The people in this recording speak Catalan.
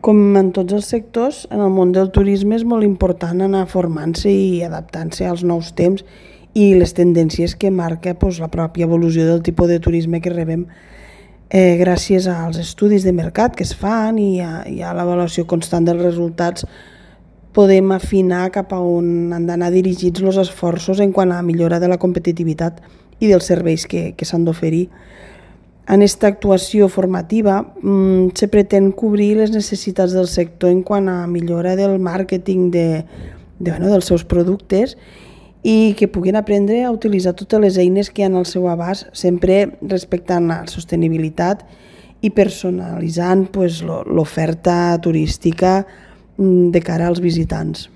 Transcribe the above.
Com en tots els sectors, en el món del turisme és molt important anar formant-se i adaptant-se als nous temps i les tendències que marca la pròpia evolució del tipus de turisme que rebem gràcies als estudis de mercat que es fan i a l'avaluació constant dels resultats podem afinar cap a on han d'anar dirigits els esforços en quant a millora de la competitivitat i dels serveis que s'han d'oferir. En aquesta actuació formativa se pretén cobrir les necessitats del sector en quant a millora del màrqueting dels seus productes i que puguin aprendre a utilitzar totes les eines que hi ha al seu abast, sempre respectant la sostenibilitat i personalitzant l'oferta turística de cara als visitants.